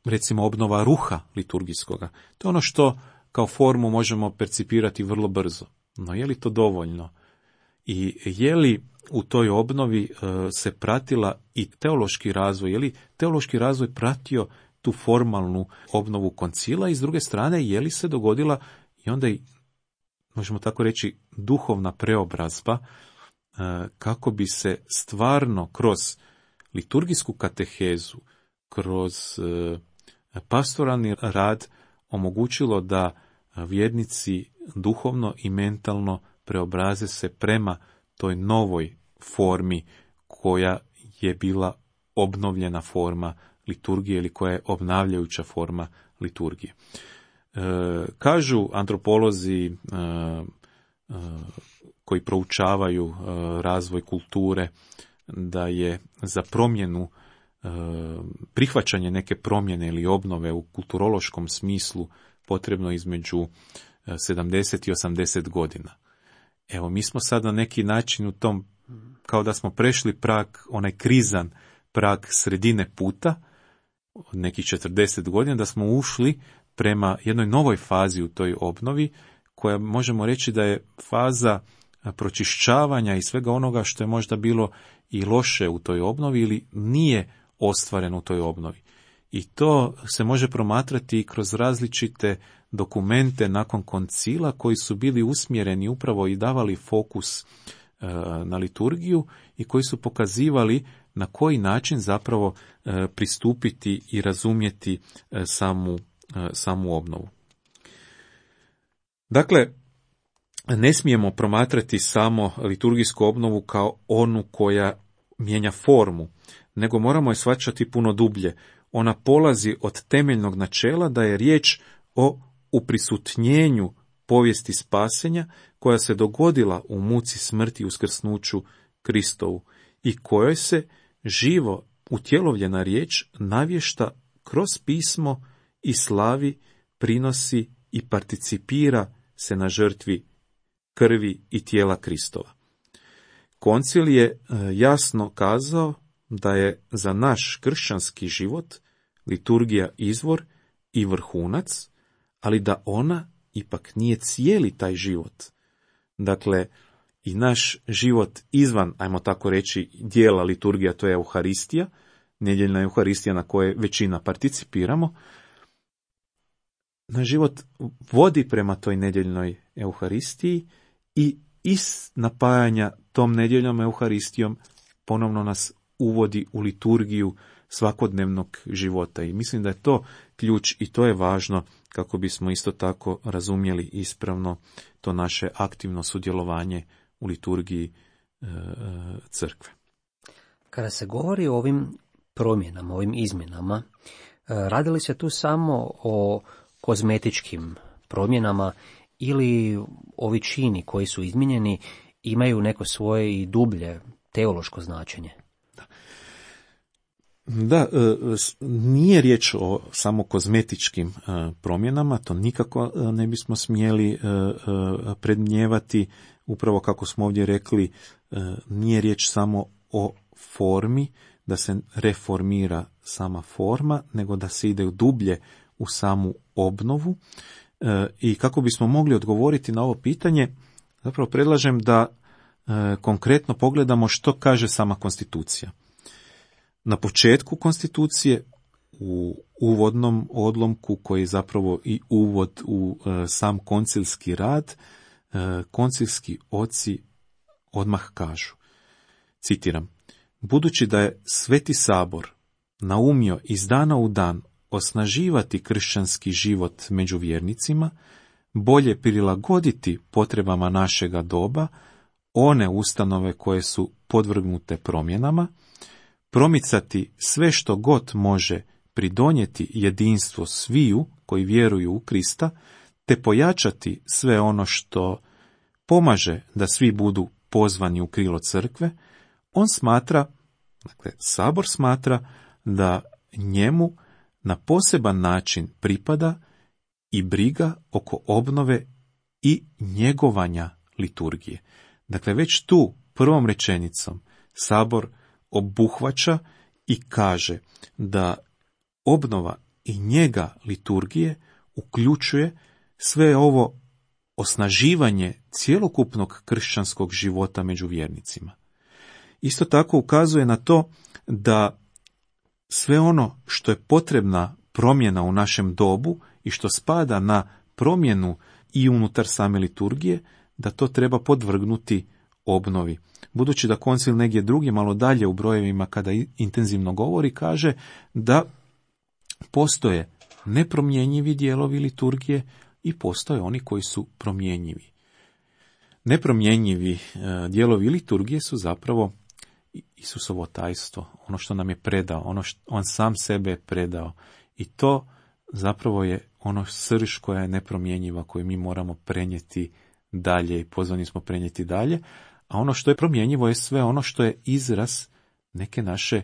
recimo obnova ruha liturgijskoga. To je ono što kao formu možemo percipirati vrlo brzo. No je li to dovoljno? I je li u toj obnovi e, se pratila i teološki razvoj? Je li teološki razvoj pratio tu formalnu obnovu koncila i s druge strane je li se dogodila i onda i, možemo tako reći, duhovna preobrazba e, kako bi se stvarno kroz liturgijsku katehezu, kroz e, pastoralni rad omogućilo da vjernici duhovno i mentalno preobraze se prema toj novoj formi koja je bila obnovljena forma liturgije ili koja je obnavljajuća forma liturgije. E, kažu antropolozi e, e, koji proučavaju e, razvoj kulture da je za promjenu, e, prihvaćanje neke promjene ili obnove u kulturološkom smislu potrebno između sedamdeset i osamdeset godina. Evo, mi smo sad na neki način u tom, kao da smo prešli prag, onaj krizan prag sredine puta, nekih četrdeset godina, da smo ušli prema jednoj novoj fazi u toj obnovi, koja možemo reći da je faza pročišćavanja i svega onoga što je možda bilo i loše u toj obnovi ili nije ostvareno u toj obnovi. I to se može promatrati kroz različite dokumente nakon koncila koji su bili usmjereni upravo i davali fokus e, na liturgiju i koji su pokazivali na koji način zapravo e, pristupiti i razumjeti e, samu, e, samu obnovu. Dakle, ne smijemo promatrati samo liturgijsku obnovu kao onu koja mijenja formu, nego moramo je shvaćati puno dublje. Ona polazi od temeljnog načela da je riječ o uprisutnjenju povijesti spasenja koja se dogodila u muci, smrti i uskrsnuću Kristovu i kojoj se živo utjelovljena riječ navješta kroz pismo i slavi, prinosi i participira se na žrtvi krvi i tijela Kristova. Koncil je jasno kazao da je za naš kršćanski život liturgija izvor i vrhunac, ali da ona ipak nije cijeli taj život. Dakle, i naš život izvan, ajmo tako reći, dijela liturgija, to je Euharistija, nedjeljna Euharistija na kojoj većina participiramo, naš život vodi prema toj nedjeljnoj Euharistiji i iz napajanja tom nedjeljnom Euharistijom ponovno nas uvodi u liturgiju svakodnevnog života. I mislim da je to ključ i to je važno kako bismo isto tako razumjeli ispravno to naše aktivno sudjelovanje u liturgiji e, crkve. Kada se govori o ovim promjenama, ovim izmjenama, radi li se tu samo o kozmetičkim promjenama ili ovi čini koji su izmijenjeni imaju neko svoje i dublje teološko značenje. Da, nije riječ o samo kozmetičkim promjenama, to nikako ne bismo smjeli predmnijevati. Upravo kako smo ovdje rekli, nije riječ samo o formi, da se reformira sama forma, nego da se ide dublje u samu obnovu. I kako bismo mogli odgovoriti na ovo pitanje, zapravo predlažem da konkretno pogledamo što kaže sama konstitucija. Na početku konstitucije, u uvodnom odlomku koji je zapravo i uvod u sam koncilski rad, koncilski oci odmah kažu, citiram, budući da je Sveti Sabor naumio iz dana u dan osnaživati kršćanski život među vjernicima, bolje prilagoditi potrebama našega doba, one ustanove koje su podvrgnute promjenama, promicati sve što god može pridonijeti jedinstvo sviju koji vjeruju u Krista, te pojačati sve ono što pomaže da svi budu pozvani u krilo crkve, on smatra, dakle, Sabor smatra da njemu na poseban način pripada i briga oko obnove i njegovanja liturgije. Dakle, već tu prvom rečenicom Sabor obuhvaća i kaže da obnova i njega liturgije uključuje sve ovo osnaživanje cjelokupnog kršćanskog života među vjernicima. Isto tako ukazuje na to da sve ono što je potrebna promjena u našem dobu i što spada na promjenu i unutar same liturgije, da to treba podvrgnuti obnovi. Budući da koncil negdje drugi, malo dalje u brojevima kada intenzivno govori, kaže da postoje nepromjenjivi dijelovi liturgije i postoje oni koji su promjenjivi. Nepromjenjivi dijelovi liturgije su zapravo Isusovo tajstvo, ono što nam je predao, ono što on sam sebe je predao. I to zapravo je ono srž koja je nepromjenjiva, koju mi moramo prenijeti dalje i pozvani smo prenijeti dalje. A ono što je promjenjivo je sve ono što je izraz neke naše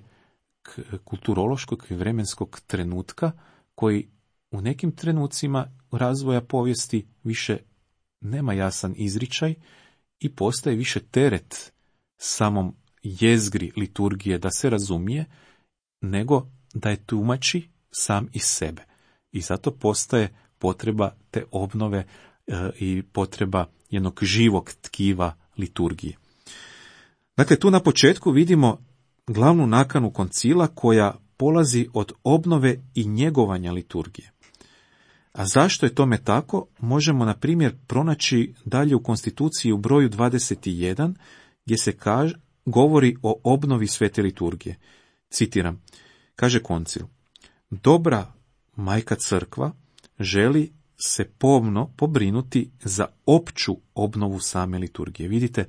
kulturološkog i vremenskog trenutka, koji u nekim trenucima razvoja povijesti više nema jasan izričaj i postaje više teret samom jezgri liturgije da se razumije, nego da je tumači sam iz sebe. I zato postaje potreba te obnove e, i potreba jednog živog tkiva liturgije. Dakle, tu na početku vidimo glavnu nakanu koncila koja polazi od obnove i njegovanja liturgije. A zašto je tome tako, možemo na primjer pronaći dalje u konstituciji u broju dvadeset jedan, gdje se kaže, govori o obnovi svete liturgije. Citiram, kaže koncil, dobra majka crkva želi se pomno pobrinuti za opću obnovu same liturgije. Vidite,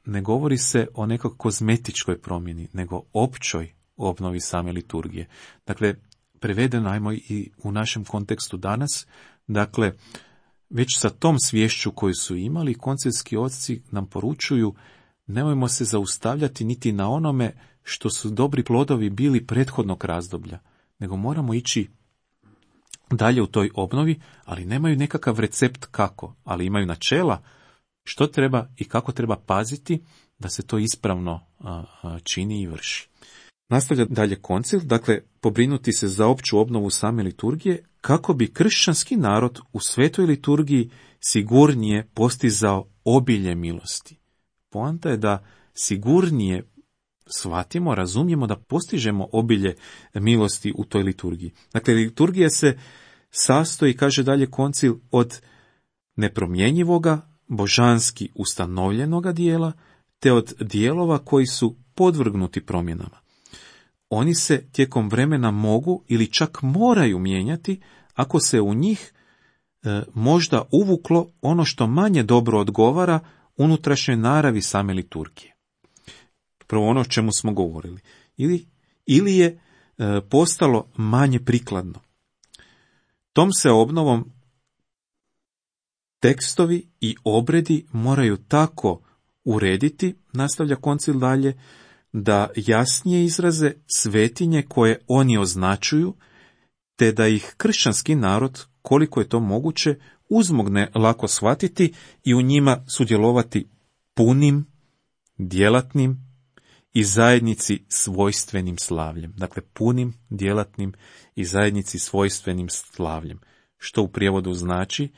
ne govori se o nekoj kozmetičkoj promjeni, nego općoj obnovi same liturgije. Dakle, prevedeno ajmo i u našem kontekstu danas, dakle, već sa tom sviješću koju su imali, koncilski oci nam poručuju, nemojmo se zaustavljati niti na onome što su dobri plodovi bili prethodnog razdoblja, nego moramo ići dalje u toj obnovi, ali nemaju nekakav recept kako, ali imaju načela što treba i kako treba paziti da se to ispravno a, a, čini i vrši. Nastavlja dalje koncil, dakle, pobrinuti se za opću obnovu same liturgije, kako bi kršćanski narod u svetoj liturgiji sigurnije postizao obilje milosti. Poanta je da sigurnije shvatimo, razumijemo da postižemo obilje milosti u toj liturgiji. Dakle, liturgija se sastoji, kaže dalje koncil, od nepromjenjivoga, božanski ustanovljenoga dijela, te od dijelova koji su podvrgnuti promjenama. Oni se tijekom vremena mogu ili čak moraju mijenjati ako se u njih e, možda uvuklo ono što manje dobro odgovara unutrašnjoj naravi same liturgije. Prvo ono o čemu smo govorili. Ili, ili je e, postalo manje prikladno. Tom se obnovom tekstovi i obredi moraju tako urediti, nastavlja koncil dalje, da jasnije izraze svetinje koje oni označuju, te da ih kršćanski narod, koliko je to moguće, uzmogne lako shvatiti i u njima sudjelovati punim, djelatnim i zajednici svojstvenim slavljem. Dakle, punim, djelatnim i zajednici svojstvenim slavljem. Što u prijevodu znači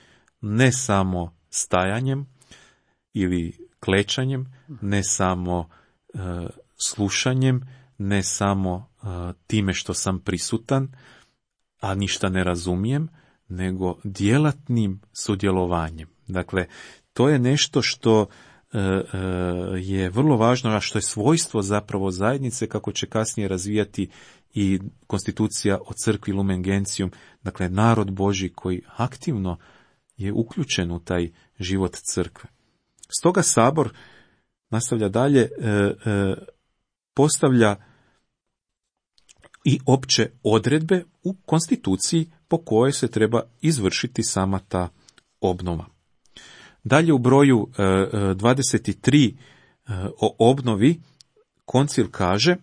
ne samo stajanjem ili klečanjem, ne samo e, slušanjem, ne samo e, time što sam prisutan, a ništa ne razumijem, nego djelatnim sudjelovanjem. Dakle, to je nešto što e, e, je vrlo važno, a što je svojstvo zapravo zajednice, kako će kasnije razvijati i konstitucija o crkvi Lumen Gentium, dakle narod Božji koji aktivno je uključen u taj život crkve. Stoga sabor, nastavlja dalje, e, e, postavlja i opće odredbe u konstituciji po kojoj se treba izvršiti sama ta obnova. Dalje u broju dvadeset tri o obnovi koncil kaže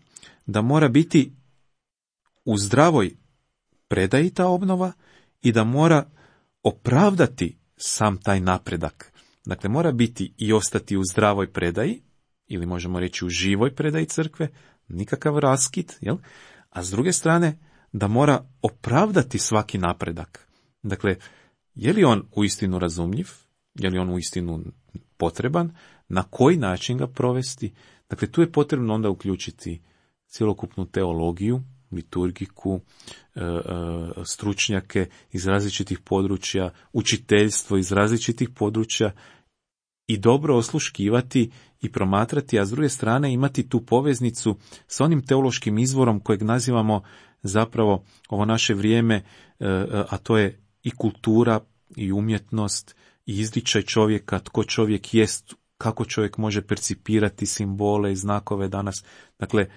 da mora biti u zdravoj predaji ta obnova i da mora opravdati sam taj napredak. Dakle, mora biti i ostati u zdravoj predaji, ili možemo reći u živoj predaji crkve, nikakav raskid, jel? A s druge strane, da mora opravdati svaki napredak. Dakle, je li on uistinu razumljiv, je li on uistinu potreban, na koji način ga provesti. Dakle, tu je potrebno onda uključiti cjelokupnu teologiju, liturgiku, stručnjake iz različitih područja, učiteljstvo iz različitih područja i dobro osluškivati i promatrati, a s druge strane imati tu poveznicu s onim teološkim izvorom kojeg nazivamo zapravo ovo naše vrijeme, a to je i kultura i umjetnost i izričaj čovjeka, tko čovjek jest, kako čovjek može percipirati simbole i znakove danas. Dakle,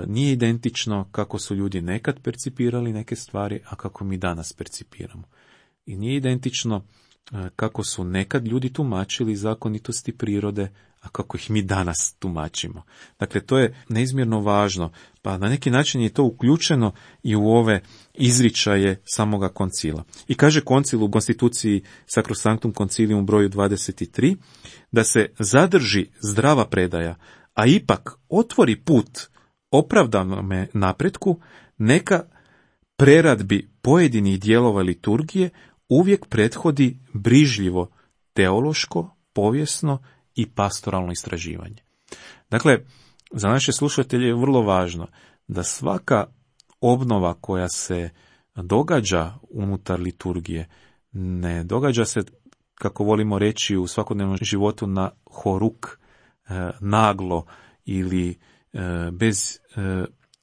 nije identično kako su ljudi nekad percipirali neke stvari, a kako mi danas percipiramo. I nije identično kako su nekad ljudi tumačili zakonitosti prirode, a kako ih mi danas tumačimo. Dakle, to je neizmjerno važno, pa na neki način je to uključeno i u ove izričaje samoga koncila. I kaže koncil u konstituciji Sacrosanctum Concilium u broju dvadeset tri, da se zadrži zdrava predaja, a ipak otvori put opravdanome napretku, neka preradbi pojedinih dijelova liturgije uvijek prethodi brižljivo teološko, povijesno i pastoralno istraživanje. Dakle, za naše slušatelje je vrlo važno da svaka obnova koja se događa unutar liturgije ne događa se, kako volimo reći u svakodnevnom životu, na horuk, naglo ili bez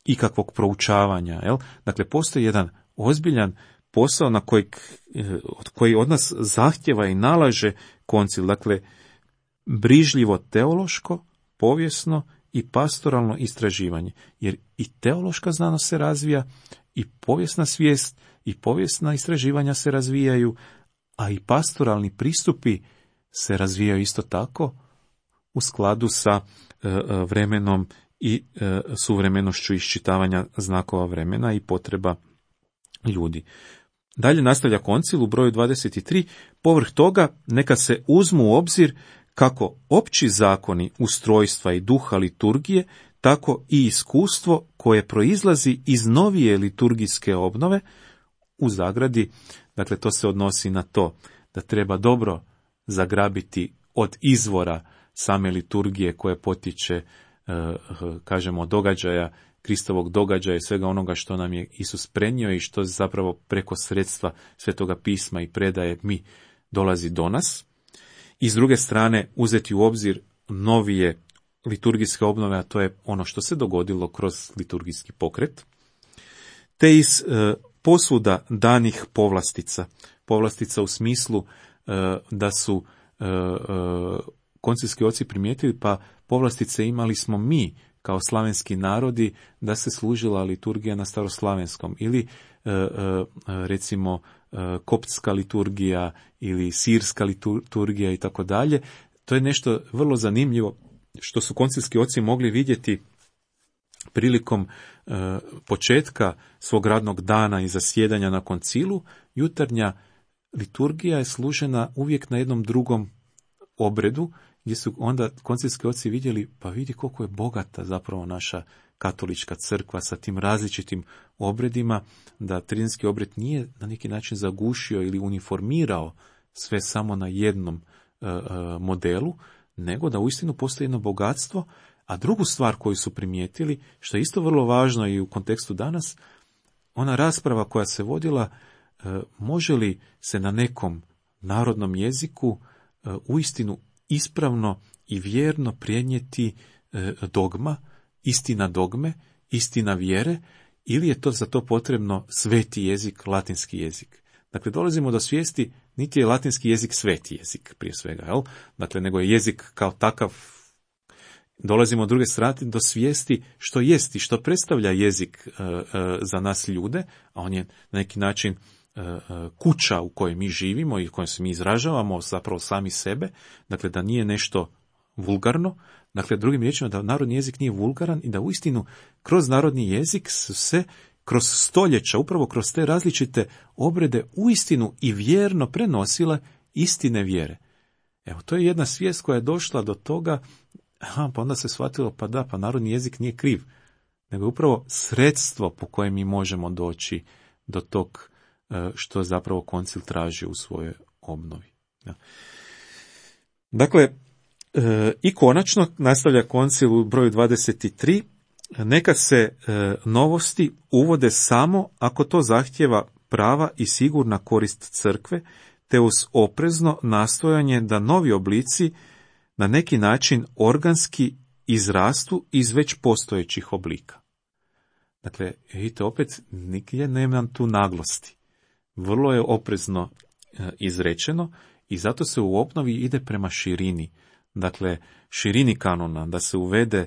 ikakvog proučavanja. Jel? Dakle, postoji jedan ozbiljan posao na kojeg, od koji od nas zahtjeva i nalaže koncil. Dakle, brižljivo teološko, povijesno i pastoralno istraživanje. Jer i teološka znanost se razvija, i povijesna svijest, i povijesna istraživanja se razvijaju, a i pastoralni pristupi se razvijaju isto tako u skladu sa vremenom i suvremenošću iščitavanja znakova vremena i potreba ljudi. Dalje nastavlja koncil u broju dvadeset tri, povrh toga neka se uzmu u obzir kako opći zakoni ustrojstva i duha liturgije, tako i iskustvo koje proizlazi iz novije liturgijske obnove u zagradi. Dakle, to se odnosi na to da treba dobro zagrabiti od izvora same liturgije koje potiče, kažemo, događaja, Kristovog događaja i svega onoga što nam je Isus prenio i što zapravo preko sredstva Svetoga pisma i predaje mi dolazi do nas. I s druge strane uzeti u obzir novije liturgijske obnove, a to je ono što se dogodilo kroz liturgijski pokret, te iz e, posuda danih povlastica. Povlastica u smislu e, da su e, e, koncilski oci primijetili, pa povlastice imali smo mi kao slavenski narodi, da se služila liturgija na staroslavenskom, ili e, e, recimo e, koptska liturgija ili sirska liturgija i tako dalje. to je nešto vrlo zanimljivo što su koncilski oci mogli vidjeti prilikom e, početka svog radnog dana i zasjedanja na koncilu. Jutarnja liturgija je služena uvijek na jednom drugom obredu, gdje su onda koncilski oci vidjeli, pa vidi koliko je bogata zapravo naša katolička crkva sa tim različitim obredima, da tridenski obred nije na neki način zagušio ili uniformirao sve samo na jednom e, e, modelu, nego da uistinu postoji jedno bogatstvo. A drugu stvar koju su primijetili, što je isto vrlo važno i u kontekstu danas, ona rasprava koja se vodila, e, može li se na nekom narodnom jeziku e, uistinu ispravno i vjerno prenijeti e, dogma, istina dogme, istina vjere, ili je to za to potrebno sveti jezik, latinski jezik. Dakle, dolazimo do svijesti, niti je latinski jezik sveti jezik, prije svega, jel? Dakle, nego je jezik kao takav. Dolazimo od druge strane do svijesti što jest i što predstavlja jezik e, e, za nas ljude, a on je na neki način e, e, kuća u kojoj mi živimo i u kojoj se mi izražavamo zapravo sami sebe, dakle da nije nešto vulgarno, dakle drugim riječima da narodni jezik nije vulgaran i da uistinu kroz narodni jezik se kroz stoljeća, upravo kroz te različite obrede uistinu i vjerno prenosile istine vjere. Evo, to je jedna svijest koja je došla do toga. Aha, pa onda se shvatilo, pa da, pa narodni jezik nije kriv, nego je upravo sredstvo po kojem mi možemo doći do tog što zapravo koncil traži u svojoj obnovi. Dakle, i konačno, nastavlja koncil u broju dvadeset tri, neka se novosti uvode samo ako to zahtjeva prava i sigurna korist crkve, te uz oprezno nastojanje da novi oblici na neki način organski izrastu iz već postojećih oblika. Dakle, vidite, opet nigdje nema tu naglosti. Vrlo je oprezno e, izrečeno i zato se u obnovi ide prema širini. Dakle, širini kanona, da se uvede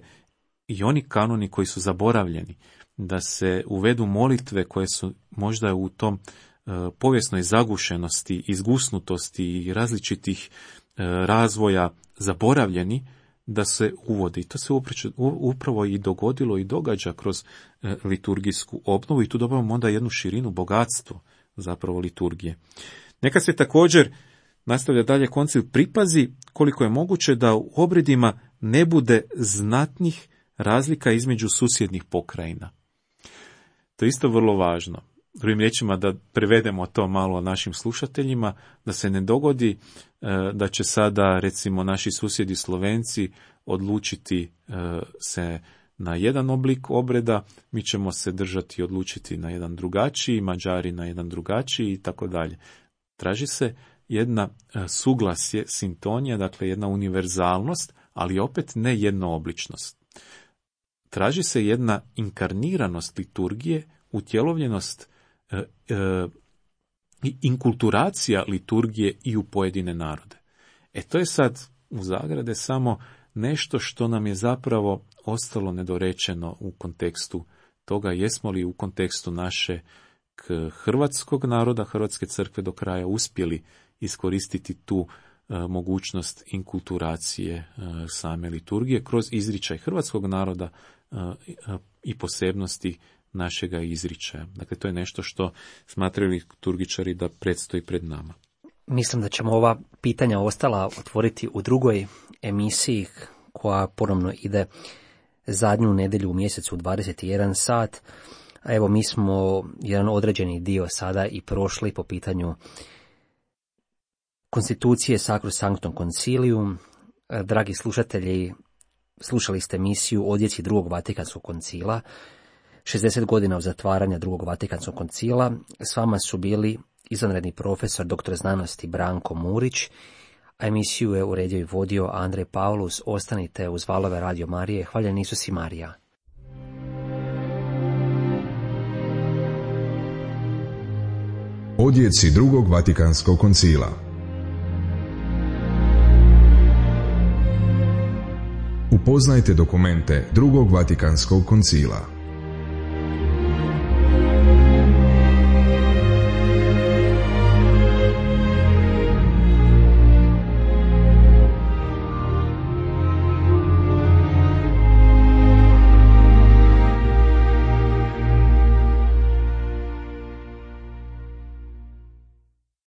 i oni kanoni koji su zaboravljeni, da se uvedu molitve koje su možda u tom e, povijesnoj zagušenosti, izgusnutosti i različitih e, razvoja zaboravljeni, da se uvodi. To se upravo i dogodilo i događa kroz e, liturgijsku obnovu i tu dobavamo onda jednu širinu, bogatstvo zapravo liturgije. Neka se također, nastavlja dalje koncil, pripazi koliko je moguće da u obredima ne bude znatnih razlika između susjednih pokrajina. To je isto vrlo važno. Drugim riječima, da prevedemo to malo našim slušateljima, da se ne dogodi da će sada, recimo, naši susjedi Slovenci odlučiti se na jedan oblik obreda, mi ćemo se držati i odlučiti na jedan drugačiji, Mađari na jedan drugačiji i tako dalje. Traži se jedna suglasje, sintonija, dakle jedna univerzalnost, ali opet ne jednoobličnost. Traži se jedna inkarniranost liturgije, utjelovljenost e, e, inkulturacija liturgije i u pojedine narode. E to je sad u zagrade samo nešto što nam je zapravo ostalo nedorečeno u kontekstu toga jesmo li u kontekstu naše hrvatskog naroda, Hrvatske crkve do kraja uspjeli iskoristiti tu e, mogućnost inkulturacije e, same liturgije kroz izričaj hrvatskog naroda e, e, i posebnosti našega izričaja. Dakle, to je nešto što smatraju liturgičari da predstoji pred nama. Mislim da ćemo ova pitanja ostala otvoriti u drugoj emisiji koja ponovno ide zadnju nedjelju u mjesecu u dvadeset jedan sat. A evo, mi smo jedan određeni dio sada i prošli po pitanju konstitucije Sacrosanctum Concilium. Dragi slušatelji, slušali ste emisiju Odjeci drugog Vatikanskog koncila, šezdeset godina od zatvaranja drugog Vatikanskog koncila. S vama su bili izvanredni profesor doktor znanosti Branko Murić, a emisiju je uredio i vodio Andrej Paulus. Ostanite uz valove Radio Marije. Hvaljen Isus i Marija. Odjeci drugog Vatikanskog koncila. Upoznajte dokumente drugog Vatikanskog koncila.